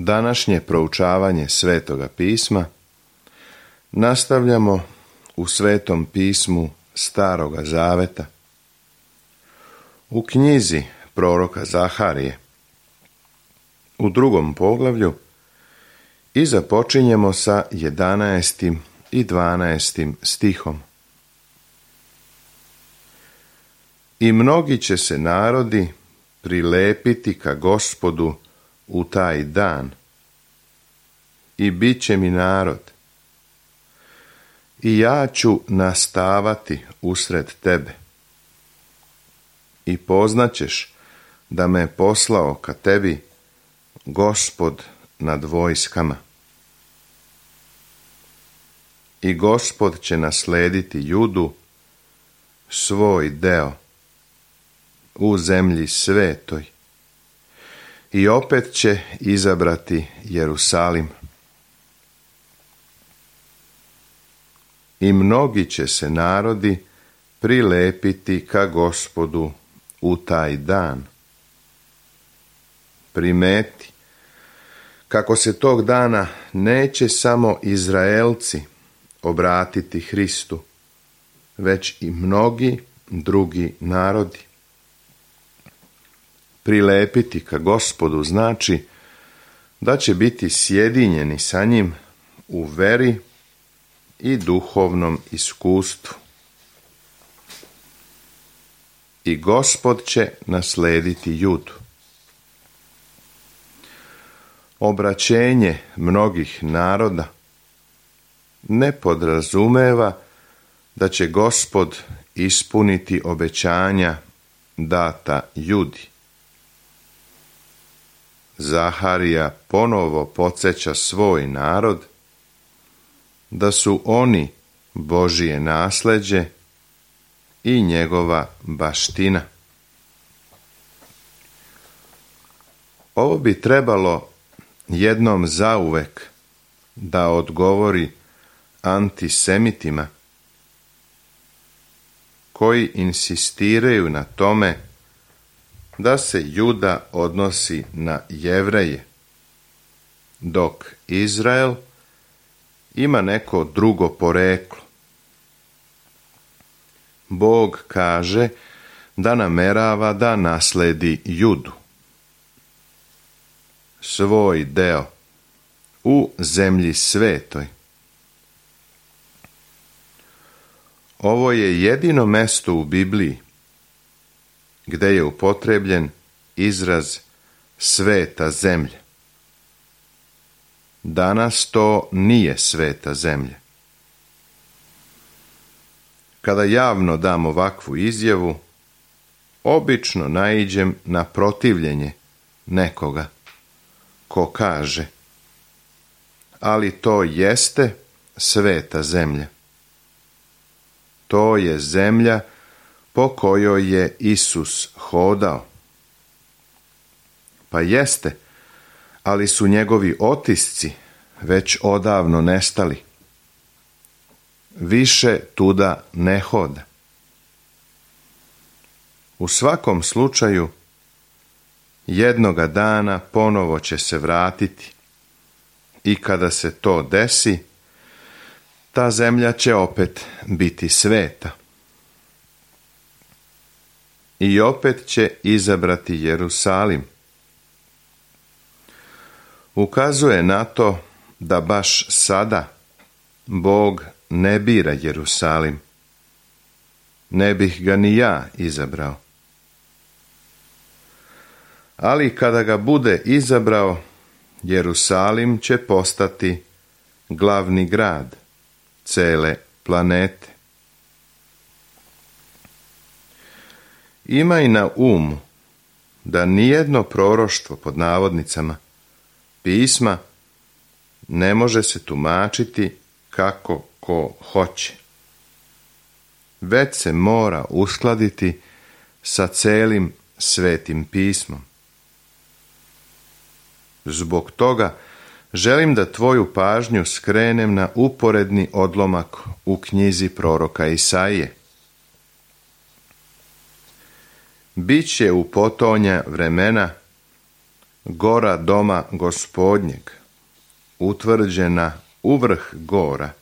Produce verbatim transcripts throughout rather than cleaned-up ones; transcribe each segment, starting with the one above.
Današnje proučavanje Svetoga pisma nastavljamo u Svetom pismu Staroga Zaveta, u knjizi proroka Zaharije, u drugom poglavlju, i započinjemo sa jedanaestim i dvanaestim stihom. I mnogi će se narodi prilepiti ka Gospodu u taj dan, i bit će mi narod, i ja ću nastavati usred tebe, i poznaćeš da me poslao ka tebi Gospod nad vojskama. I Gospod će naslediti Judu, svoj deo, u zemlji svetoj, i opet će izabrati Jerusalim. I mnogi će se narodi prilepiti ka Gospodu u taj dan. Primeti kako se tog dana neće samo Izraelci obratiti Hristu, već i mnogi drugi narodi. Prilepiti ka Gospodu znači da će biti sjedinjeni sa njim u veri i duhovnom iskustvu. I Gospod će naslediti Judu. Obraćenje mnogih naroda ne podrazumeva da će Gospod ispuniti obećanja data Judi. Zaharija ponovo podsjeća svoj narod da su oni Božije nasleđe i njegova baština. Ovo bi trebalo jednom zauvek da odgovori antisemitima koji insistiraju na tome da se Juda odnosi na Jevreje, dok Izrael ima neko drugo poreklo. Bog kaže da namerava da nasledi Judu, svoj deo, u zemlji svetoj. Ovo je jedino mesto u Bibliji gde je upotrebljen izraz sveta zemlja. Danas to nije sveta zemlja. Kada javno dam ovakvu izjavu, obično naiđem na protivljenje nekoga ko kaže: ali to jeste sveta zemlja. To je zemlja po kojoj je Isus hodao. Pa jeste, ali su njegovi otisci već odavno nestali. Više tuda ne hoda. U svakom slučaju, jednoga dana ponovo će se vratiti, i kada se to desi, ta zemlja će opet biti sveta. I opet će izabrati Jerusalim. Ukazuje na to da baš sada Bog ne bira Jerusalim. Ne bih ga ni ja izabrao. Ali kada ga bude izabrao, Jerusalim će postati glavni grad cele planete. Imaj na umu da nijedno proroštvo, pod navodnicama, pisma ne može se tumačiti kako ko hoće, već se mora uskladiti sa celim Svetim pismom. Zbog toga želim da tvoju pažnju skrenem na uporedni odlomak u knjizi proroka Isaije. Biće u potonja vremena gora doma Gospodnjeg, utvrđena uvrh gora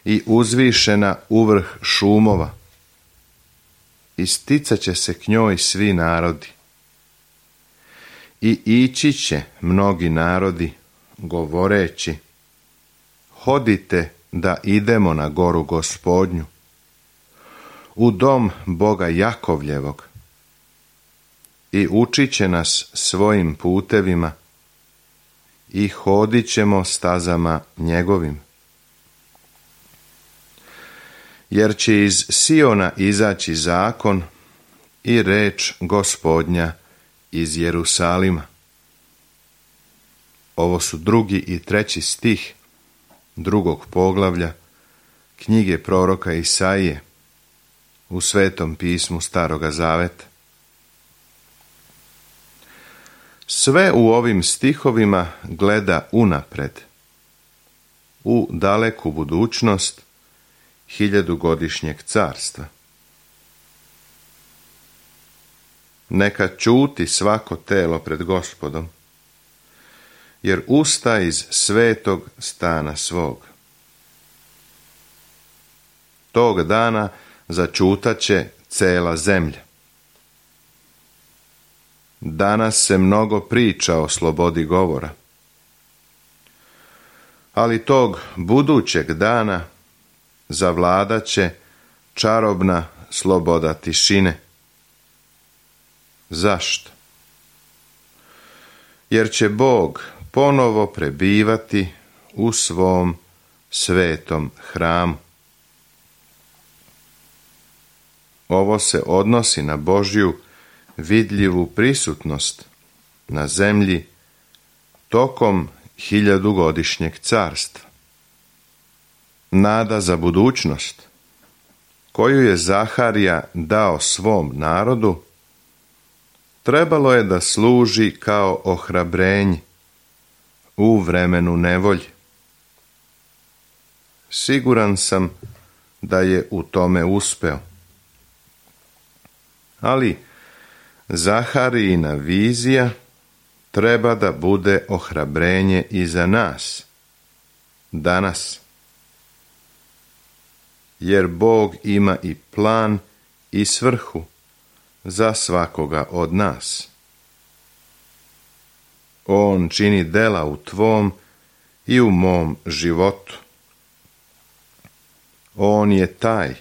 i uzvišena uvrh šumova. Isticat će se k njoj svi narodi. I ići će mnogi narodi, govoreći: hodite da idemo na goru Gospodnju, u dom Boga Jakovljevog, i učit će nas svojim putevima i hodit ćemo stazama njegovim. Jer će iz Siona izaći zakon i reč Gospodnja iz Jerusalima. Ovo su drugi i treći stih drugog poglavlja knjige proroka Isaije u Svetom pismu Staroga Zaveta. Sve u ovim stihovima gleda unapred, u daleku budućnost hiljadugodišnjeg carstva. Neka ćuti svako telo pred Gospodom, jer usta iz svetog stana svog. Tog dana začutat će cela zemlja. Danas se mnogo priča o slobodi govora, ali tog budućeg dana zavladat će čarobna sloboda tišine. Zašto? Jer će Bog ponovo prebivati u svom svetom hramu. Ovo se odnosi na Božju vidljivu prisutnost na zemlji tokom hiljadugodišnjeg carstva. Nada za budućnost, koju je Zaharija dao svom narodu, trebalo je da služi kao ohrabrenje u vremenu nevolje. Siguran sam da je u tome uspeo. Ali Zaharijina vizija treba da bude ohrabrenje i za nas, danas. Jer Bog ima i plan i svrhu za svakoga od nas. On čini dela u tvom i u mom životu. On je taj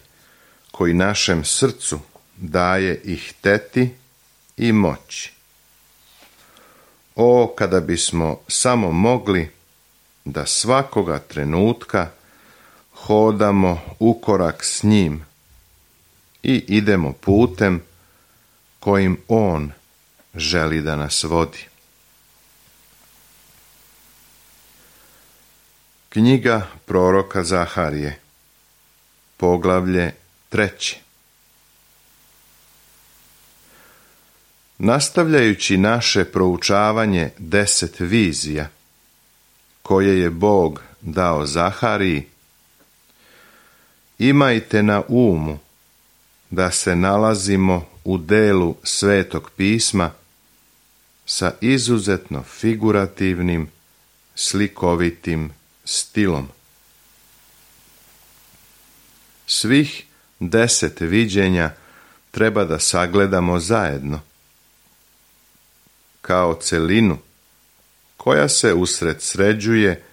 koji našem srcu daje i hteti i moći. O, kada bismo samo mogli da svakoga trenutka hodamo u korak s njim i idemo putem kojim on želi da nas vodi. Knjiga proroka Zaharije, poglavlje treće. Nastavljajući naše proučavanje deset vizija koje je Bog dao Zahariji, imajte na umu da se nalazimo u delu Svetog pisma sa izuzetno figurativnim, slikovitim stilom. Svih deset viđenja treba da sagledamo zajedno, kao celinu koja se usred sređuje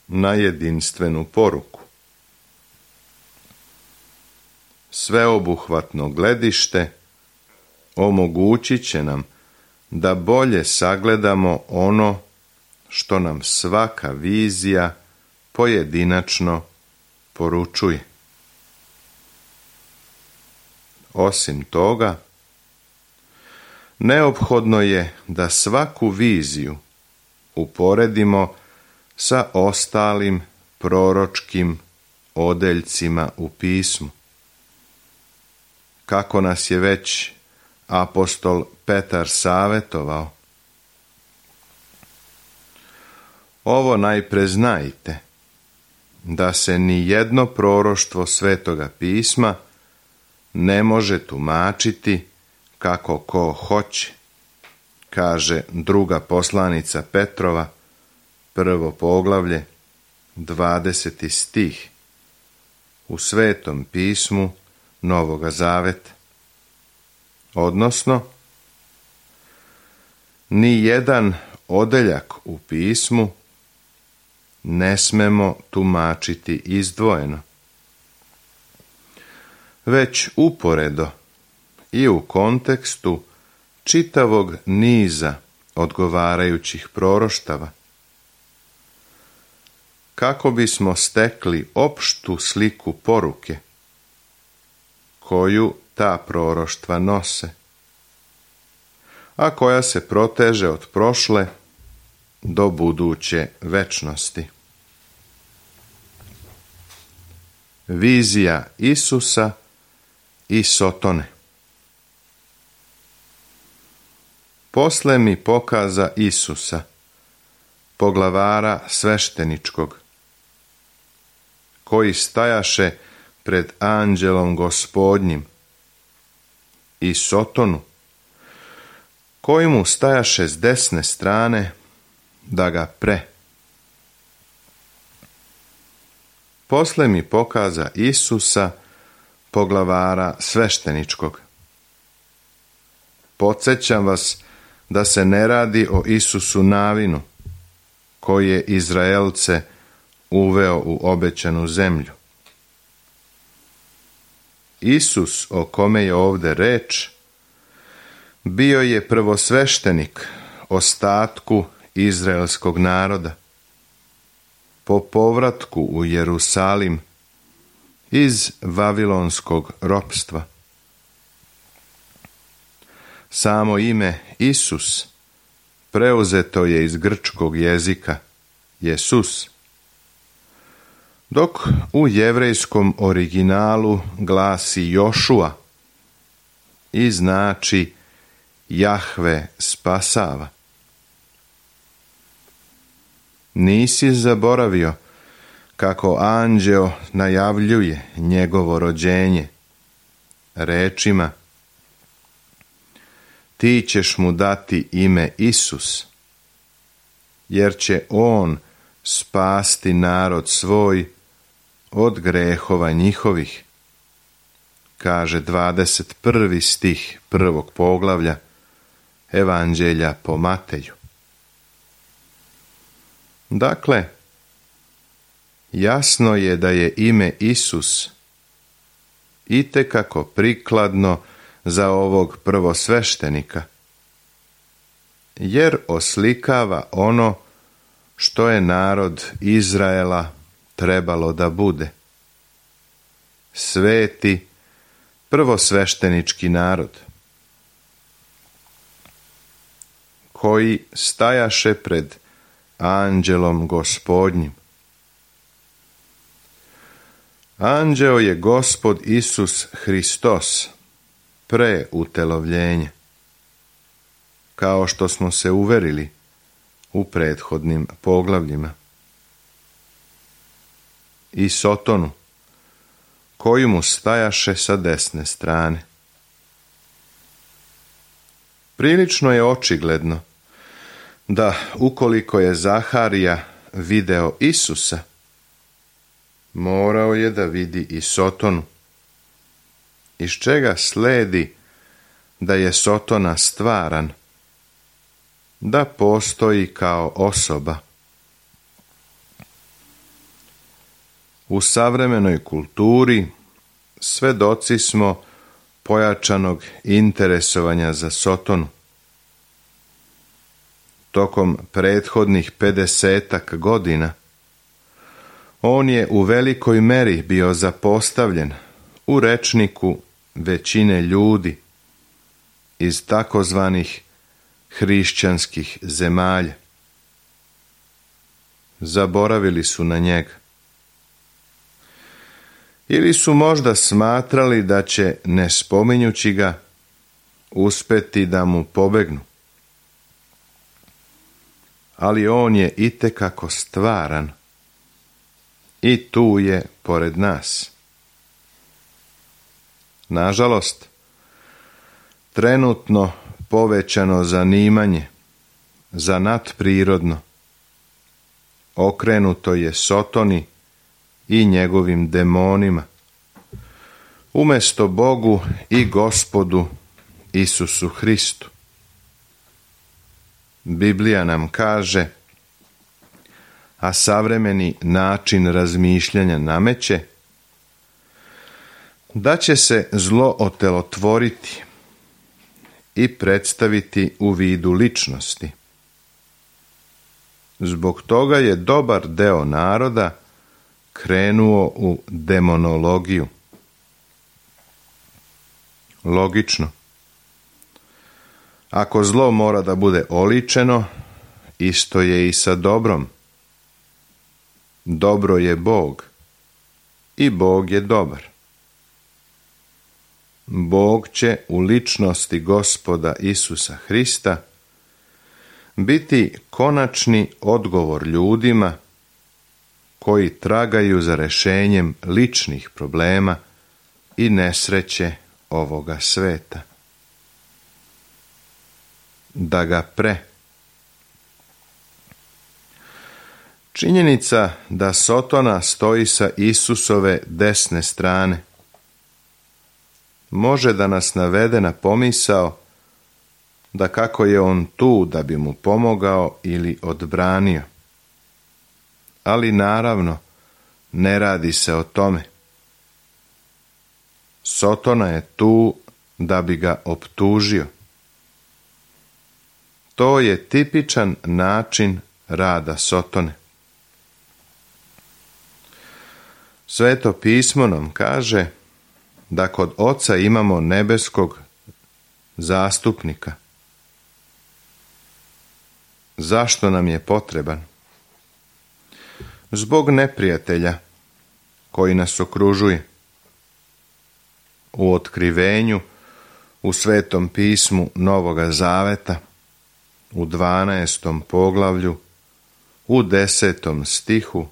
na jedinstvenu poruku. Sveobuhvatno gledište omogućit će nam da bolje sagledamo ono što nam svaka vizija pojedinačno poručuje. Osim toga, neophodno je da svaku viziju uporedimo sa ostalim proročkim odeljcima u pismu, kako nas je već apostol Petar savetovao. Ovo najpre znajte, da se ni jedno proroštvo Svetoga pisma ne može tumačiti kako ko hoće, kaže druga poslanica Petrova, prvo poglavlje, dvadeseti stih, u Svetom pismu Novoga Zaveta. Odnosno, ni jedan odeljak u pismu ne smemo tumačiti izdvojeno, već uporedo i u kontekstu čitavog niza odgovarajućih proroštava, kako bismo stekli opštu sliku poruke koju ta proroštva nose, a koja se proteže od prošle do buduće večnosti. Vizija Isusa i Sotone. Posle mi pokaza Isusa, poglavara svešteničkog, koji stajaše pred anđelom Gospodnjim, i Sotonu, koji mu stajaše s desne strane da ga pre. Posle mi pokaza Isusa, poglavara svešteničkog. Podsjećam vas da se ne radi o Isusu Navinu, koji je Izraelce uveo u obećanu zemlju. Isus, o kome je ovde reč, bio je prvosveštenik ostatku izraelskog naroda po povratku u Jerusalim iz vavilonskog ropstva. Samo ime Isus preuzeto je iz grčkog jezika Jesus, dok u jevrejskom originalu glasi Jošua i znači Jahve spasava. Nisi zaboravio kako anđeo najavljuje njegovo rođenje rečima: ti ćeš mu dati ime Isus, jer će on spasti narod svoj od grehova njihovih, kaže dvadeset prvi stih prvog poglavlja Evanđelja po Mateju. Dakle, jasno je da je ime Isus itekako prikladno za ovog prvosveštenika, jer oslikava ono što je narod Izraela trebalo da bude. Sveti prvosveštenički narod, koji stajaše pred anđelom Gospodnjim. Anđeo je Gospod Isus Hristos pre utelovljenja, kao što smo se uverili u prethodnim poglavljima. I Sotonu, koji mu stajaše sa desne strane. Prilično je očigledno da ukoliko je Zaharija video Isusa, morao je da vidi i Sotonu, iz čega sledi da je Sotona stvaran, da postoji kao osoba. U savremenoj kulturi svedoci smo pojačanog interesovanja za Sotonu. Tokom prethodnih pedesetak godina on je u velikoj meri bio zapostavljen u rečniku većine ljudi iz takozvanih hrišćanskih zemalja. Zaboravili su na njega. Ili su možda smatrali da će, ne spominjući ga, uspeti da mu pobegnu. Ali on je itekako stvaran i tu je pored nas. Nažalost, trenutno povećano zanimanje za nadprirodno. Okrenuto je Sotoni i njegovim demonima, umjesto Bogu i Gospodu Isusu Hristu. Biblija nam kaže, a savremeni način razmišljanja nameće, da će se zlo otelotvoriti i predstaviti u vidu ličnosti. Zbog toga je dobar deo naroda krenuo u demonologiju. Logično. Ako zlo mora da bude oličeno, isto je i sa dobrom. Dobro je Bog i Bog je dobar. Bog će u ličnosti Gospoda Isusa Hrista biti konačni odgovor ljudima koji tragaju za rešenjem ličnih problema i nesreće ovoga sveta. Da ga pre. Činjenica da Sotona stoji sa Isusove desne strane može da nas navede na pomisao da kako je on tu da bi mu pomogao ili odbranio. Ali naravno, ne radi se o tome. Sotona je tu da bi ga optužio. To je tipičan način rada Sotone. Sveto pismo nam kaže da kod Oca imamo nebeskog zastupnika. Zašto nam je potreban? Zbog neprijatelja koji nas okružuje. U otkrivenju, u Svetom pismu Novoga Zaveta, u dvanaestom poglavlju, u desetom stihu,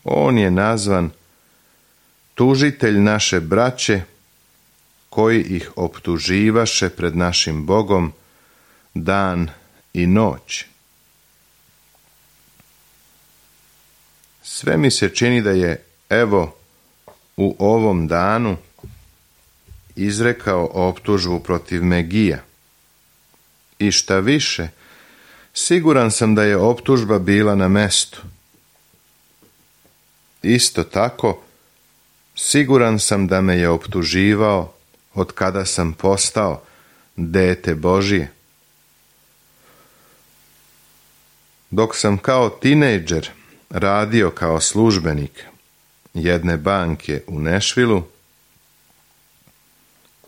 on je nazvan tužitelj naše braće, koji ih optuživaše pred našim Bogom dan i noć. Sve mi se čini da je, evo, u ovom danu izrekao optužbu protiv Megija. I šta više, siguran sam da je optužba bila na mestu. Isto tako, siguran sam da me je optuživao od kada sam postao dete Božije. Dok sam kao tinejdžer radio kao službenik jedne banke u Nešvilu,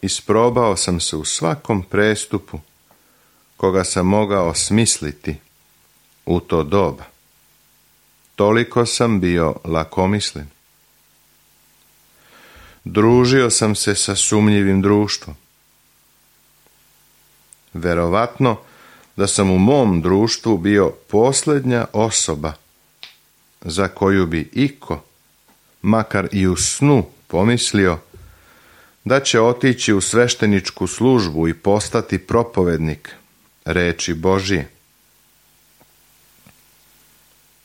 isprobao sam se u svakom prestupu koga sam mogao smisliti u to doba. Toliko sam bio lakomislen. Družio sam se sa sumnjivim društvom. Verovatno da sam u mom društvu bio posljednja osoba za koju bi iko, makar i u snu, pomislio da će otići u svešteničku službu i postati propovednik reči Božije.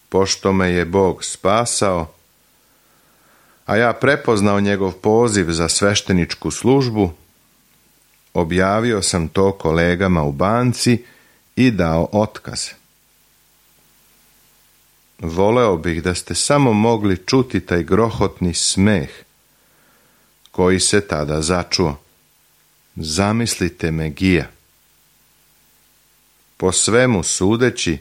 Pošto me je Bog spasao, a ja prepoznao njegov poziv za svešteničku službu, objavio sam to kolegama u banci i dao otkaz. Voleo bih da ste samo mogli čuti taj grohotni smeh koji se tada začuo. Zamislite Megija. Po svemu sudeći,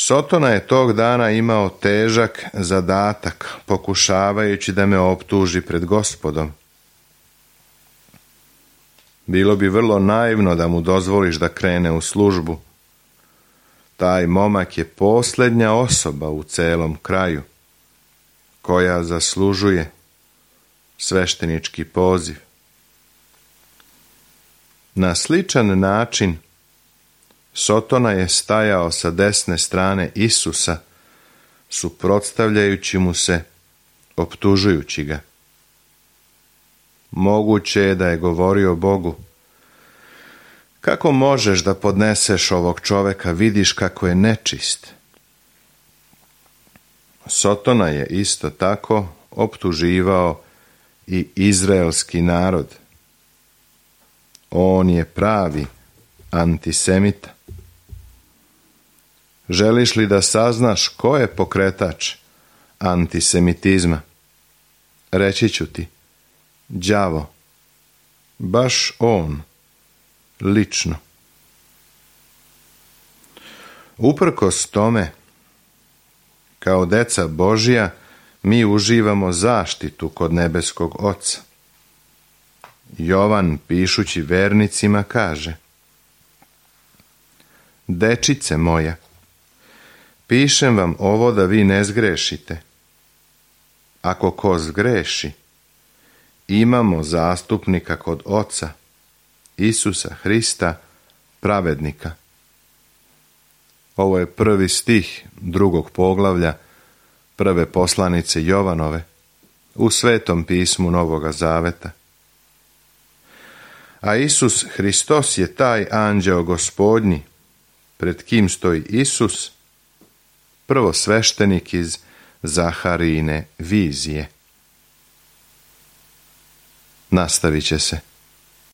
Sotona je tog dana imao težak zadatak, pokušavajući da me optuži pred Gospodom. Bilo bi vrlo naivno da mu dozvoliš da krene u službu. Taj momak je posljednja osoba u celom kraju koja zaslužuje sveštenički poziv. Na sličan način Sotona je stajao sa desne strane Isusa, suprotstavljajući mu se, optužujući ga. Moguće je da je govorio Bogu: Kako možeš da podneseš ovog čoveka, vidiš kako je nečist? Sotona je isto tako optuživao i izraelski narod. On je pravi antisemita. Želiš li da saznaš ko je pokretač antisemitizma? Reći ću ti, đavo, baš on, lično. Uprkos tome, kao deca Božja, mi uživamo zaštitu kod nebeskog Oca. Jovan, pišući vernicima, kaže: Dečice moja, pišem vam ovo da vi ne zgrešite. Ako ko zgreši, imamo zastupnika kod Oca, Isusa Hrista, pravednika. Ovo je prvi stih drugog poglavlja prve poslanice Jovanove u Svetom pismu Novoga Zaveta. A Isus Hristos je taj anđeo Gospodnji, pred kim stoji Isus, prvosveštenik iz Zaharijine vizije. Nastavit će se.